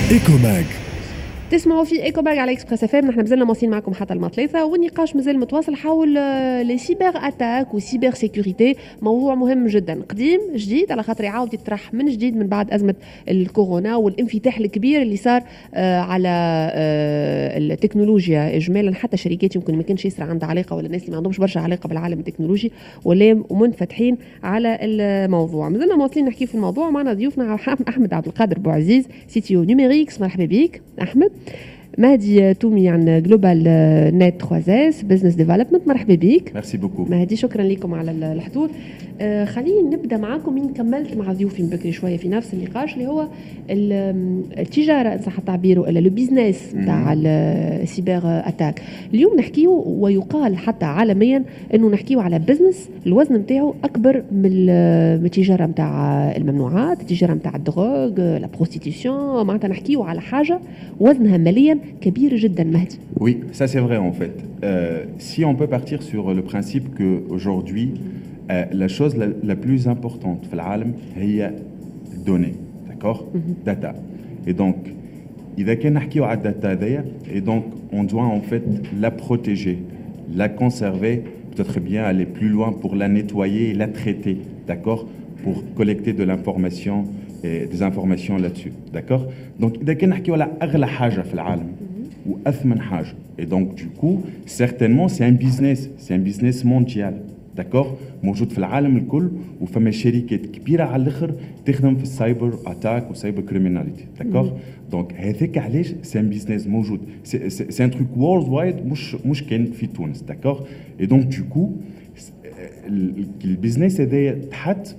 Ecomag. تسمعوا في Ecomag على Express FM. نحن مازلنا مواصلين معكم حتى الماضي 3، والنقاش مازال متواصل حول les cyberattaques و cybersécurité، موضوع مهم جدا، قديم جديد، على خاطر يعاود يطرح من جديد من بعد ازمة الكورونا والانفتاح الكبير اللي صار على التكنولوجيا اجمالا. حتى شركات يمكن ما كانش ياسر عندها علاقه، ولا الناس اللي ما عندهمش برشا علاقة بالعالم التكنولوجي ولا منفتحين على الموضوع. مازلنا مواصلين نحكي في الموضوع، معنا ضيوفنا احمد عبد القادر بوعزيز، CTO Numerix، مرحبا بك احمد. مهدي تومي عن GlobalNet 3S business development، مرحبا بك. Merci beaucoup. مهدي، شكرا لكم على الحضور. خليني نبدا معاكم من كملت مع ضيوفي من بكري شوية في نفس النقاش، اللي هو التجاره، ان صح التعبير، ولا le business نتاع ال cyberattaque. اليوم نحكيو، ويقال حتى عالميا انه نحكيو على business الوزن نتاعو اكبر من التجارة نتاع الممنوعات، التجارة نتاع ال drogue، la prostitution، معناتها نحكيو على حاجة وزنها ماليا كبير جدا، مهدي. Oui, ça c'est vrai en fait. Si on peut partir sur le principe qu'aujourd'hui, la chose la plus importante في العالم هي données, d'accord؟ Data. Et donc, إذا كان نحكيو على ال data هذايا، et donc on doit en fait la protéger, la conserver, peut-être bien aller plus loin pour la nettoyer et la traiter, d'accord؟ Pour collecter de l'information et des informations là-dessus, d'accord؟ Donc إذا كان نحكيو على أغلى حاجة في العالم وأثمن حاجة، et donc du coup certainement c'est un business, c'est un business mondial, d'accord؟ موجود في العالم الكل، وفما شركات كبيرة على الاخر تخدم في ال cyber attaque و cyber criminalité, d'accord؟ Donc هذاك علاش c'est un business موجود، c'est un truc worldwide، مش كان في تونس، d'accord؟ Et donc du coup ال business هذايا تحت،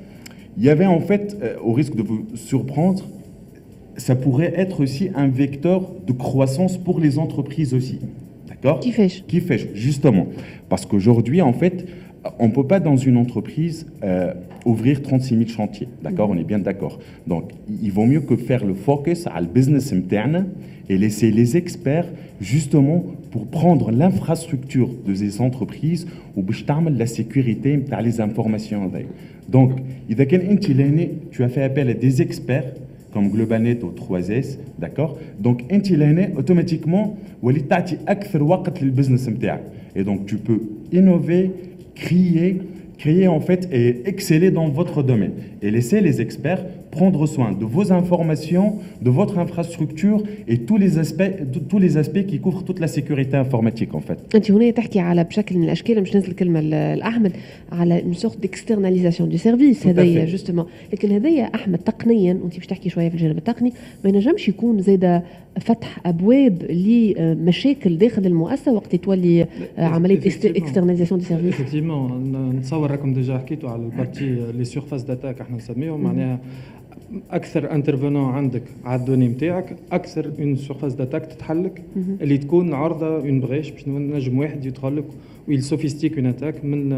il y avait en fait, au risque de vous surprendre, ça pourrait être aussi un vecteur de croissance pour les entreprises aussi. D'accord؟ كيفاش؟ كيفاش؟ Justement. Parce qu'aujourd'hui, en fait, on ne peut pas dans une entreprise ouvrir 36 000 chantiers. D'accord؟ On est bien d'accord. Donc, il vaut mieux que faire le focus على ال business متاعنا et laisser les experts justement pour prendre l'infrastructure de ces entreprises وباش تعمل la sécurité نتاع les informations. Donc, إذا كان أنت لهنا tu as fait appel à des experts comme GlobalNet ou 3S, d'accord؟ Donc, أنت لهنا automatiquement وليت تعطي أكثر وقت لل business نتاعك. Et donc, tu peux innover, créer en fait et exceller dans votre domaine et laisser les experts prendre soin de vos informations, de votre infrastructure et tous les aspects qui couvrent toute la sécurité informatique en fait. انت هنا تحكي على بشكل من الاشكال، مش ننزل الكلمة لاحمد، على une sorte d'externalisation du service هذايا justement. لكن هذايا احمد تقنيا، وانت باش تحكي شوية في الجانب التقني، ما ينجمش يكون زاد فتح ابواب لمشاكل داخل المؤسسة وقت تولي عملية externalisation du service؟ Effectivement، نتصور راكم déjà حكيتوا على ال partie les surfaces d'attaque احنا نسميهم، معناها اكثر intervenants عندك على ال données نتاعك، اكثر une surface d'attaque تتحلك اللي تكون عرضه une brèche باش نجم واحد يدخل لك و il sophistique une attaque من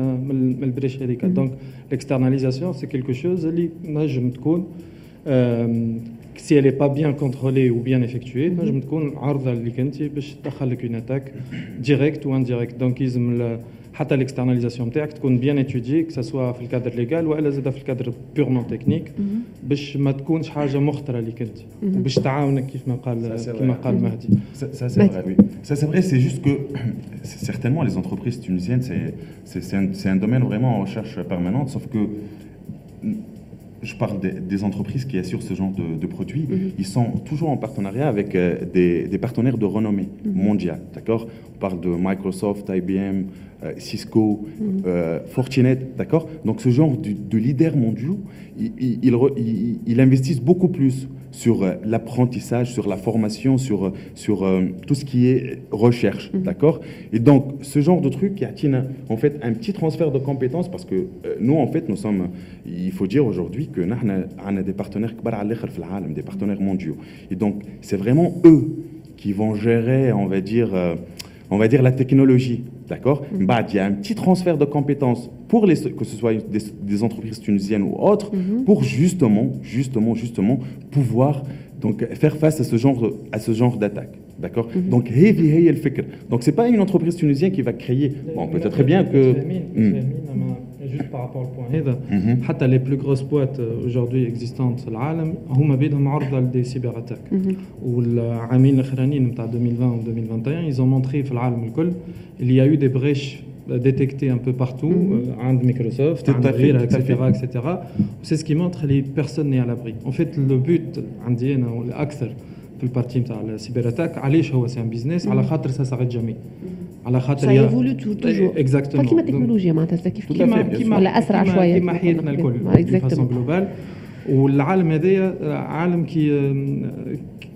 ال brèche هذيك. Donc l'externalisation, c'est quelque chose اللي نجم تكون، si elle n'est pas bien contrôlée ou bien effectuée، تنجم تكون عرضه اللي كنتي باش تدخل لك une attaque directe ou indirecte. Donc يلزم حتى l'externalisation نتاعك تكون bien étudiée، que ce soit في ال cadre légal والا زاد في ال cadre purement technique، باش ما تكونش حاجة مخطره ليك انت وباش تعاونك كيف ما قال مهدي. Ça c'est vrai, oui. Ça c'est vrai, c'est juste que certainement les entreprises tunisiennes, c'est un domaine vraiment en recherche permanente, sauf que je parle des entreprises qui assurent ce genre de produits, ils sont toujours en partenariat avec des partenaires de renommée mondiale, d'accord؟ On parle de Microsoft, IBM, Cisco, Fortinet, d'accord؟ Donc ce genre de leaders mondiaux, ils investissent beaucoup plus sur l'apprentissage, sur la formation, sur tout ce qui est recherche, d'accord؟ Et donc, ce genre de truc, il y a en fait un petit transfert de compétences parce que nous, en fait, nous sommes, il faut dire aujourd'hui que nous avons des partenaires كبار على الآخر في العالم, des partenaires mondiaux. Et donc, c'est vraiment eux qui vont gérer, on va dire la technologie, d'accord؟ بعد, il y a un petit transfert de compétences pour les, que ce soit des entreprises tunisiennes ou autres, pour justement, justement, justement pouvoir donc faire face à ce genre d'attaque. D'accord؟ Donc, هذه هي الفكرة. Donc, c'est pas une entreprise tunisienne qui va créer. Bon, peut-être bien que. فاهمين، فاهمين، اما Juste par rapport au point هذا, حتى les plus grosses boîtes aujourd'hui existantes في العالم هما بيدهم عرضه ل des cyberattaques. والعامين الاخرانيين نتاع 2020 و 2021, ils ont montré في العالم الكل il y a eu des brèches détectées un peu partout, عند مايكروسوفت, عند غيرها, etc., etc. C'est ce qui montre que personne n'est à l'abri. En fait, le but عندي انا والاكثر في ال partie نتاع ال cyberattaque, علاش هو c'est un business؟ على خاطر ça s'arrête jamais, على خاطر ça évolue toujours. Exactement. كيما التكنولوجيا معناتها كيف كيما ولا اسرع شويه. كيما حياتنا الكل façon globale. والعالم هذايا عالم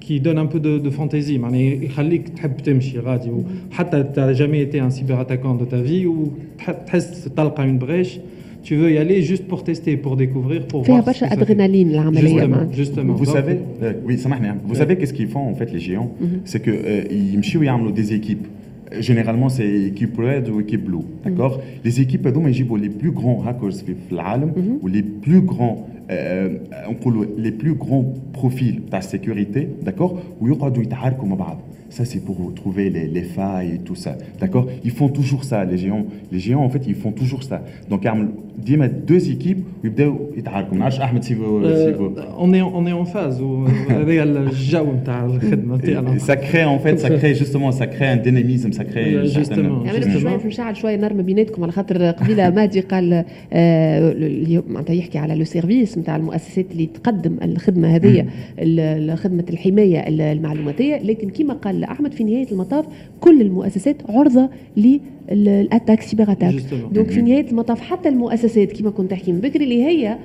qui donne un peu de fantaisie, معناها يخليك تحب تمشي غادي, وحتى t'as jamais été un cyberattaquant de ta vie وتحس تلقى une brèche, tu veux y aller juste pour tester, pour découvrir, pour فيها برشا ادرينالين العمليه. Justement. Vous savez, oui, سامحني, vous savez qu'est-ce qu'ils font en fait les géants؟ C'est que يمشيو يعملوا des équipes. Généralement, c'est équipe red ou équipe blue, d'accord؟ Les équipes هذوما يجيبوا les plus grands hackers في العالم ou les plus grands, نقولوا les plus grands profils تاع sécurité, d'accord؟ ويقعدوا يتعاركوا مع بعض. Ça, c'est pour trouver les failles et tout ça. D'accord؟ Ils font toujours ça, les géants. Les géants, en fait, ils font toujours ça. Donc, ديما deux équipes ويبداو يتعاركوا. ما نعرفش احمد si vous On est en phase, هذا الجو نتاع الخدمه نتاعنا. Ça crée en fait, ça crée justement, ça crée un dynamisme, ça crée justement. يعني شويه باش نشعل شويه نار ما بيناتكم, على خاطر قبيله مهدي قال معناتها يحكي على le service نتاع المؤسسات اللي تقدم الخدمه هذه, خدمه الحمايه المعلوماتيه, لكن كما قال احمد, في نهايه المطاف كل المؤسسات عرضه لل attaque, cyberattaque. donc في نهايه المطاف حتى المؤسسات كما كنت تحكي من بكري اللي هي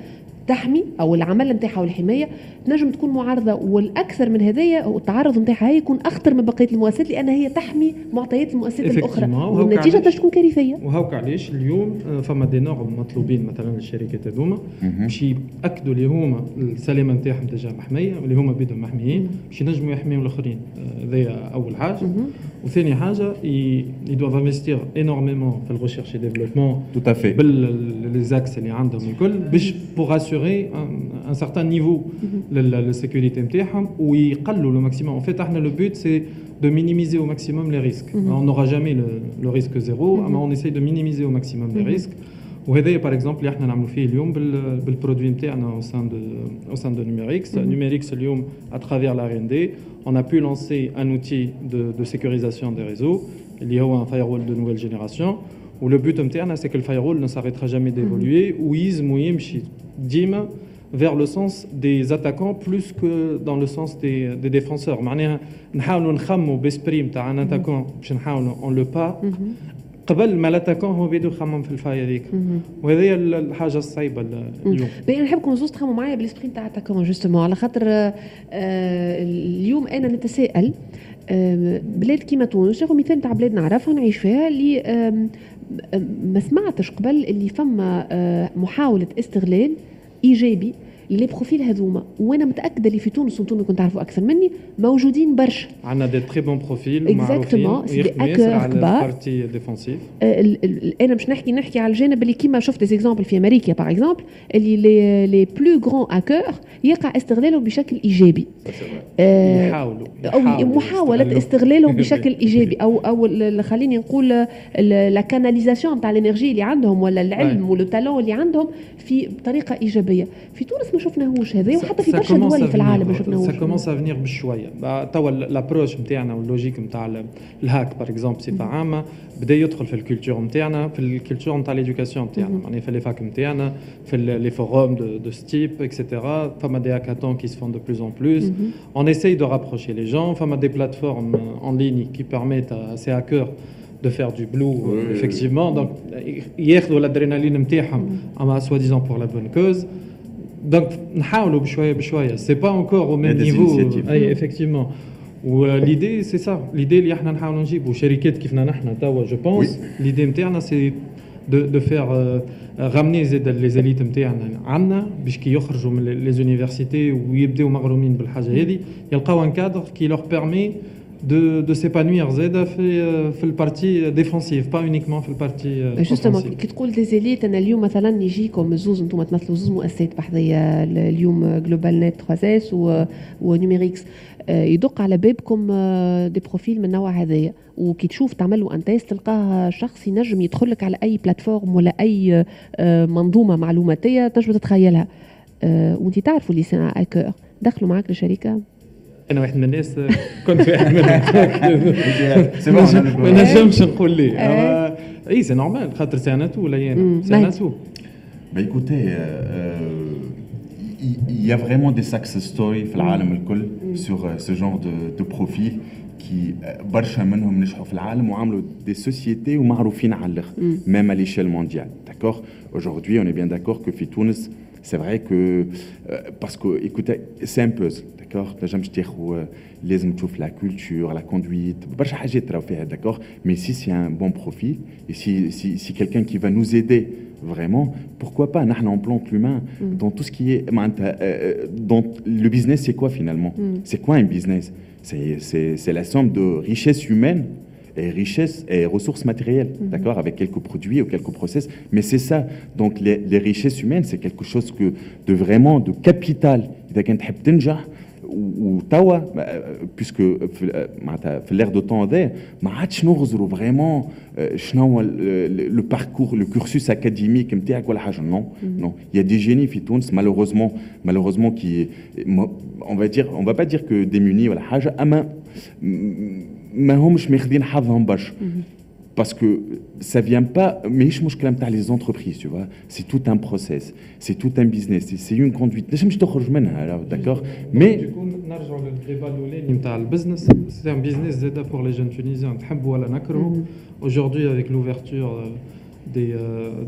تحمي او العمل نتاعها والحمايه تنجم تكون معرضه, والاكثر من هذايا التعرض نتاعها يكون اخطر من بقيه المؤسسات لان هي تحمي معطيات المؤسسات الاخرى, والنتيجه تكون كارثيه. وهوك علاش اليوم فما des normes مطلوبين مثلا للشركات هذوما باش ياكدوا اللي هما السلامه نتاعهم déjà محميه, واللي هما بيدهم محميين باش ينجموا يحميوا الاخرين. هذايا اول حاجه. وثاني حاجه, ils doivent investir énormément في ال recherche développement Tout à fait. بال les axes اللي عندهم الكل باش pour assurer un certain niveau لل sécurité نتاعهم ويقلوا le maximum. En fait, احنا le but, c'est de minimiser au maximum les risques. On n'aura jamais le risque zéro, mais on essaye de minimiser au maximum les risques. وهذا par exemple اللي احنا نعملوا فيه اليوم بال produit نتاعنا au sein de Numerix. Numerix اليوم, à travers la R&D, on a pu lancer un outil de sécurisation des réseaux اللي هو un firewall de nouvelle génération, و le but نتاعنا, c'est que le firewall ne s'arrêtera jamais d'évoluer ويلزم يمشي ديما vers le sens des attaquants plus que dans le sens des défenseurs. معناها نحاولوا نخموا ب esprit نتاع un attaquant باش نحاولوا on le pare قبل ما l'attaquant هو بيدو يخمم في ال faille هذيك, وهذه هي الحاجه الصعيبه اليوم. باهي, نحبكم زوز تخمموا معايا بال esprit نتاع attaquant justement, على خاطر اليوم انا نتساءل, بلاد كيما تونس, ناخذ مثال نتاع بلاد نعرفها نعيش فيها, اللي ما سمعتش قبل اللي فما محاوله استغلال ايجابي les profils هذوما, وانا متاكده اللي في تونس, وانتم كنت تعرفوا اكثر مني, موجودين برشا. عندنا des très bons profils. Exactement, c'est des hackers كبار. Partie défensive. انا باش نحكي على الجانب اللي كيما شفت des exemples في امريكا par exemple, اللي les plus grands hackers يقع استغلالهم بشكل ايجابي. يحاولوا. او محاوله استغلالهم بشكل ايجابي, او خليني نقول la canalisation تاع l'énergie اللي عندهم ولا العلم ولا ال talent اللي عندهم في بطريقه ايجابيه. في تونس ما شفناهوش هذا, وحتى في برشا دول في العالم ما شفناهوش. Ça commence à venir بشويه. توا l'approche نتاعنا وال logique نتاع ال hack par exemple بصفه عامه بدا يدخل في ال culture نتاعنا, في ال culture نتاع l'éducation نتاعنا, معناها في les facs نتاعنا, في les forums de ce type, et cetera. فما des hackathons qui se font de plus en plus. On essaye de rapprocher les gens. فما des plateformes en ligne qui permettent à ces hackers de faire du blue, effectivement. Donc ياخذوا l'adrénaline نتاعهم اما soi-disant pour la bonne cause. Donc نحاولوا بشويه بشويه, c'est pas encore au même niveau. اي, effectivement, و l'idée, c'est ça, l'idée اللي احنا نحاولوا نجيبوا شركات كيفنا نحن توا. Je pense l'idée نتاعنا, c'est de faire ramener زاد les élites نتاعنا عندنا, باش كي يخرجوا من les universités ويبداو مغرومين بالحاجه هذه يلقاو un cadre qui leur permet de s'épanouir زاده في ال partie défensive, pas uniquement في ال partie. Justement, كي تقول des élites, انا اليوم مثلا يجيكم زوز, انتم تمثلوا زوز مؤسسات بحذيه اليوم, GlobalNet 3S و Numerix, يدق على بابكم des profils من النوع هذايا, وكي تشوف تعمل له un test تلقاه شخص ينجم يدخل لك على اي plateforme ولا اي منظومة معلوماتيه تنجم تتخيلها, وانت تعرفوا اللي c'est un hacker, دخلوا معك للشركه؟ انا واحد من الناس كنت واحد منهم, ما نجمش نقول لي اي, c'est normal خاطر c'est un atout, لا c'est un atout. Bah écoutez, il y a vraiment des success stories في العالم الكل sur ce genre de profil qui برشا منهم نجحوا في العالم وعملوا des sociétés ومعروفين على الاخر, même à l'échelle mondiale, d'accord. Aujourd'hui, on est bien d'accord que في تونس, c'est vrai que parce que écoutez, c'est un puzzle, d'accord. تنجمش تاخذ, لازم تشوف la culture, la conduite, برشا حاجات تراو فيها, d'accord. Mais si c'est un bon profil et si quelqu'un qui va nous aider vraiment, pourquoi pas. نحن on plante l'humain dans tout ce qui est معناتها dans le business. C'est quoi finalement? C'est quoi un business? C'est la somme de richesse humaine et richesse et ressources matérielles, d'accord, avec quelques produits ou quelques process, mais c'est ça. Donc les richesses humaines, c'est quelque chose que de vraiment de capital. إذا كنت تحب تنجح وتوا, puisque معناتها في l'air de temps هذا ما عادش نغزروا vraiment شنو هو le parcours, le cursus académique نتاعك ولا حاجه. Non, non, il y a des génies في تونس, malheureusement, qui, on va dire, on va pas dire que démunis ولا حاجه, اما ما همش ماخذين حظهم برشا parce que ça vient pas, ماهيش مشكلة نتاع les entreprises, tu vois, c'est tout un process, c'est tout un business, c'est une conduite تنجمش تخرج منها, d'accord, mais Du coup, نرجعوا لل débat الاولاني نتاع ال business, c'est un business زاده pour les jeunes tunisiens, نحبوا ولا نكرهوا. Aujourd'hui, avec l'ouverture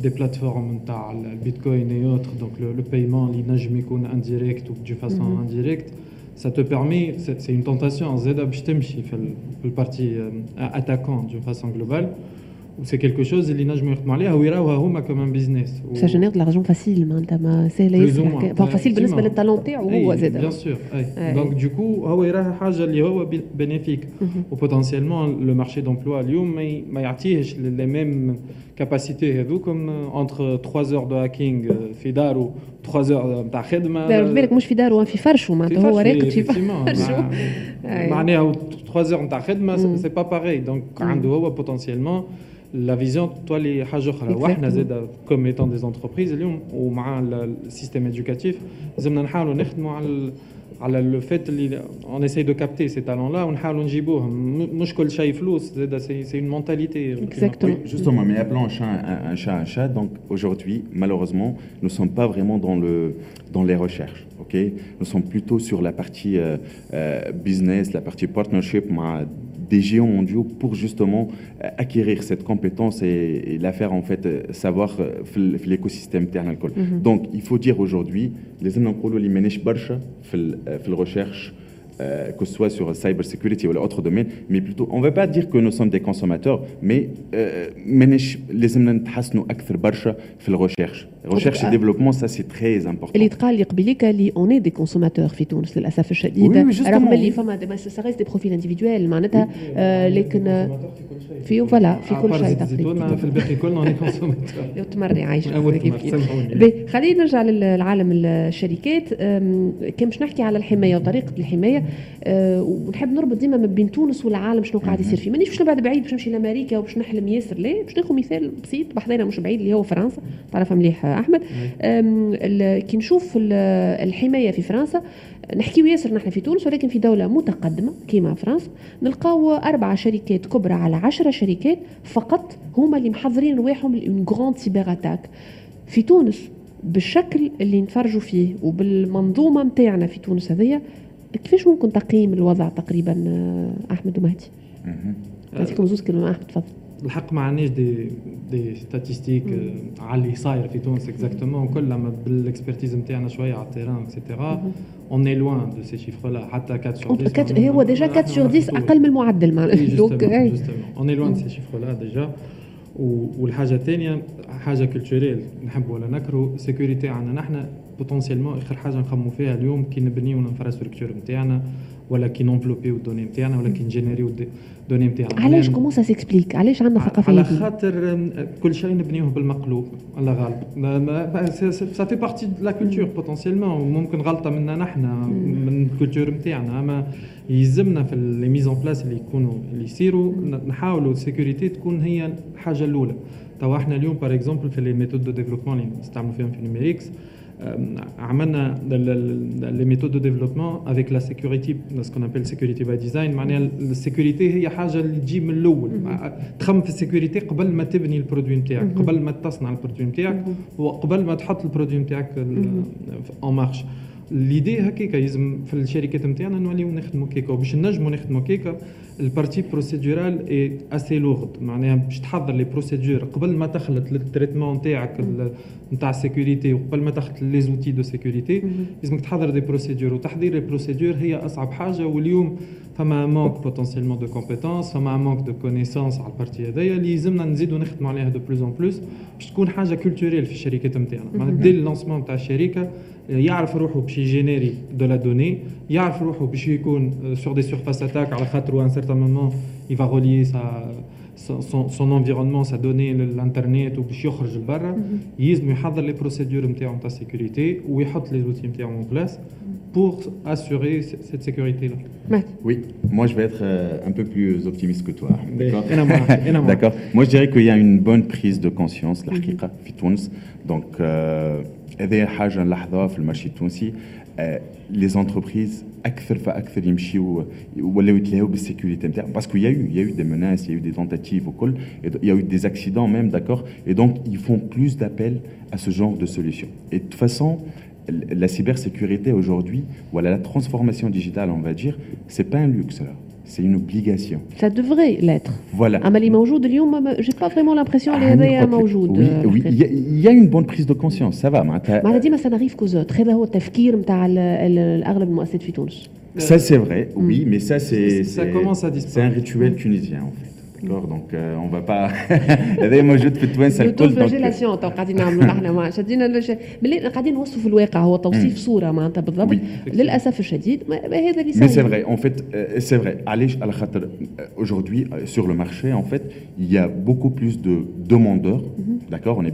des plateformes نتاع البيتكوين et autres, donc le paiement اللي نجم يكون indirect ou d'une façon indirecte, ça te permet, c'est une tentation زاده باش تمشي في ال partie attaquant d'une façon globale, و c'est quelque chose اللي نجموا يخدموا عليها ويراوها هما comme un business. Ça génère de l'argent facile, معناتها ما سهلة ياسر, facile بالنسبة لل talent تاعو هو زاد. Bien sûr. Donc du coup هو يراها حاجة اللي هو bénéfique, و potentiellement le marché d'emploi اليوم ما يعطيهش les mêmes capacités هذوكم entre 3 heures de hacking في دارو, 3 heures نتاع خدمه. بالك مش في دارو, في فرشو, معناتها هو راقد في فرشو. معناها 3 heures نتاع خدمة c'est pas pareil. Donc عنده هو potentiellement la vision تولي حاجة اخرى. واحنا زاد comme étant des entreprises اليوم ومع ال système éducatif لازمنا نحاولوا نخدموا على le fait اللي on essaye de capter ces talents-là ونحاولوا نجيبوهم. مش كل شيء فلوس زاد, c'est une mentalité. Exactement. Oui, justement, mais appelons un chat un chat. Donc aujourd'hui, malheureusement, nous ne sommes pas vraiment dans les recherches. Ok, nous sommes plutôt sur la partie business, la partie partnership مع des géants mondiaux pour justement acquérir cette compétence et la faire en fait savoir في l'écosystème تاعنا الكل. Donc il faut dire aujourd'hui لازمنا نقولوا اللي ماناش برشا في ال recherche, que ce soit sur cyber security ou autre domaine, mais plutôt, on ne va pas dire que nous sommes des consommateurs, mais ماناش, لازمنا نتحسنوا أكثر برشا في ال recherche. Recherche et développement, ça c'est très important. اللي تقال لي قبيليك اللي on est des consommateurs في تونس للاسف الشديد, رغم اللي فما ça reste des profils individuels معناتها, لكن في voilà في كل شيء. تقريبا في الباقي كلنا on est consommateurs. تمري عايشه كيف كيف. خلينا نرجع للعالم الشركات. كان باش نحكي على الحماية وطريقه الحمايه, ونحب نربط ديما ما بين تونس والعالم شنو قاعد يصير فيه. مانيش باش نبعد بعيد باش نمشي لامريكا وباش نحلم ياسر, لا, باش ناخذ مثال بسيط بحذانا مش بعيد اللي هو فرنسا, تعرفها مليح احمد. كي نشوف الحماية في فرنسا, نحكيو ياسر نحن في تونس, ولكن في دولة متقدمة كيما فرنسا نلقاو 4 شركات كبرى على 10 شركات فقط هما اللي محضرين رواحهم une grande cyberattaque. في تونس بالشكل اللي نتفرجوا فيه وبالمنظومة نتاعنا في تونس هذيا, كيفاش ممكن تقييم الوضع تقريبا احمد ومهدي؟ نعطيكم زوز كلمة. احمد تفضل. الحق ما عندناش des statistiques على اللي صاير في تونس exactement وكل, اما بال expertise نتاعنا شوية على ال terrain et cetera, on est loin de ces chiffres-là, حتى 4 sur 10. هو déjà 4 sur 10 اقل من المعدل معناها. Donc on est loin de ces chiffres-là déjà. والحاجة الثانية حاجة culturelle, نحب ولا نكرهو, sécurité عندنا نحن. potentiellement اخر حاجة نخمو فيها اليوم كي نبنيو ال infrastructure نتاعنا ولا كي نونفلوبيو ال données نتاعنا ولا كي نجينيريو ال données نتاعنا. علاش؟ comment ça s'explique؟ علاش عندنا ثقافة؟ على خاطر كل شيء نبنيوه بالمقلوب، الله غالب، ça fait partie de la culture potentiellement، وممكن غلطه منا نحن من ال culture نتاعنا، اما يلزمنا في les mises en place اللي يكونوا اللي يصيروا نحاولوا ال sécurité تكون هي الحاجة الاولى. توا احنا اليوم par exemple في les méthodes de développement اللي نستعملوا فيهم في Numerix، عملنا les méthodes de développement avec la sécurité، ce qu'on appelle security by design. معناها ال sécurité هي حاجة اللي تجي من الاول، تخمم في ال sécurité قبل ما تبني ال produit نتاعك، قبل ما تصنع ال produit نتاعك، وقبل ما تحط ال produit نتاعك en marche. l'idée هكاكا يلزم في الشركات نتاعنا نوليو نخدموا كيكا، وباش نجموا نخدموا كيكا ال partie procédurale est assez lourde. معناها باش تحضر les procédures قبل ما تخلط لل traitement نتاعك نتاع ال sécurité وقبل ما تخلط les outils de sécurité لازمك تحضر des procédures، وتحضير les procédures هي اصعب حاجه. واليوم فما manque potentiellement de compétences، فما manque de connaissances على ال partie هذايا اللي يلزمنا نزيدو نخدموا عليها de plus en plus باش تكون حاجة culturelle في الشركات نتاعنا. معناها dès ال lancement نتاع الشركة يعرف روحه باش يجينيري de la donnée، يعرف روحه باش يكون sur des surfaces d'attaque، على خاطر un certain moment il va relier son environnement، sa donnée للانترنت وباش يخرج لبرا، يلزم يحضر les procédures نتاعو نتاع sécurité ويحط les outils نتاعو en place pour assurer cette sécurité-là. Oui, moi je vais être un peu plus optimiste que toi. D'accord. D'accord. Moi je dirais qu'il y a une bonne prise de conscience الحقيقة في تونس. Donc هذه حاجة نلاحظوها في ال marché التونسي، les entreprises اكثر فاكثر يمشيو ولاو يتلاهوا بال sécurité نتاعهم parce que il y a eu des menaces، il y a eu des tentatives وكل، il y a eu des accidents même، d'accord، et donc ils font plus d'appels à ce genre de solutions. Et de toute façon la cybersécurité aujourd'hui، voilà، la transformation digitale، on va dire، c'est pas un luxe là، c'est une obligation. Ça devrait l'être. Voilà. أما اللي موجود اليوم، j'ai pas vraiment l'impression اللي هذايا موجود. Oui, il y a une bonne prise de conscience، ça va. معناتها ديما ça n'arrive qu'aux autres، هذا هو التفكير نتاع الاغلب المؤسسات في تونس. Ça c'est vrai، oui، mais ça c'est ça commence à c'est un rituel tunisien en fait. D'accord، donc on va pas، هذا موجود في التوانسة الكل. l'autoflagellation تو قاعدين نعملوا نحن، ما شدينا قاعدين نوصفوا الواقع، هو توصيف صوره معناتها بالضبط. للاسف الشديد هذا اللي صار. Mais c'est vrai، en fait c'est vrai. علاش؟ على خاطر aujourd'hui sur le marché en fait il y a beaucoup plus de demandeurs، d'accord، on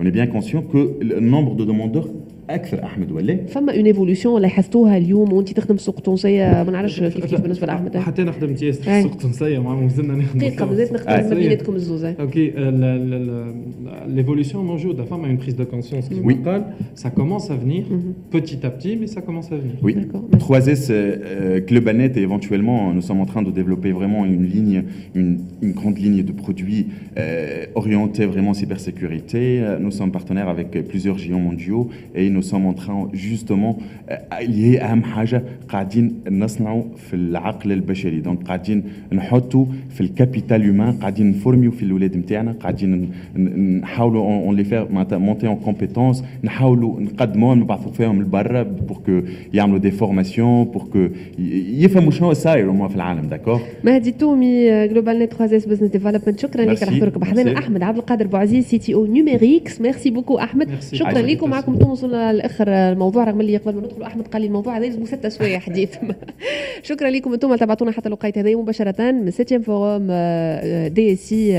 est bien conscient que le nombre de demandeurs اكثر، احمد، ولا؟ فما une évolution لاحظتوها اليوم وانت تخدم السوق التونسيه؟ ما نعرفش كيف كيف بالنسبة لاحمد. حتى انا خدمت ياسر في السوق التونسيه، مازلنا نخدم. دقيقه، مازالت نخدم ما بيناتكم الزوز. OK، l'évolution موجوده، فما une prise de conscience كيما قال، ça commence à venir petit à petit، mais ça commence à venir. Oui. 3S GlobalNet et éventuellement nous sommes en train de développer vraiment une ligne، une grande ligne de produits orientés vraiment cybersécurité. Nous sommes partenaires avec plusieurs géants mondiaux et nous sommes en train justement، اللي هي اهم حاجه، قاعدين نصنعوا في العقل البشري، donc قاعدين نحطوا في ال capital humain، قاعدين نفورميو في الاولاد نتاعنا، قاعدين نحاولوا on les fait معناتها monter en compétences، نحاولوا نقدموهم، نبعثوا فيهم لبرا pour que يعملوا des formations، pour que يفهموا شنو صاير في العالم، d'accord. مهدي تومي، GlobalNet 3S business development، شكرا لك على حضورك بحذنا. احمد عبد القادر بوعزيز، CTO Numerix، merci beaucoup احمد. شكرا لكم، معكم وصلنا لاخر الموضوع، رغم اللي قبل ما ندخل احمد قال لي الموضوع هذا لازم 6 سوايع حديث. شكرا لكم انتم تابعتونا حتى الوقت هذا مباشرة من septième forum DSI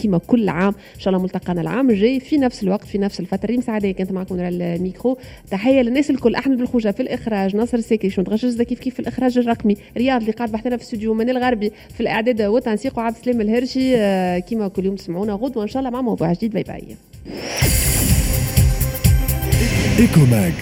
كيما كل عام. ان شاء الله ملتقانا العام الجاي في نفس الوقت في نفس الفتره. ريم سعديه كانت معكم على الميكرو. تحية للناس الكل، احمد بالخوجه في الاخراج، ناصر الساكي شو كيف كيف في الاخراج الرقمي، رياض اللي قاعد بحثنا في الاستوديو، من الغربي في الاعداد والتنسيق، وعبد السلام الهرشي. كيما كل يوم تسمعونا غدوه ان شاء الله مع موضوع جديد. bye bye. Ecomag.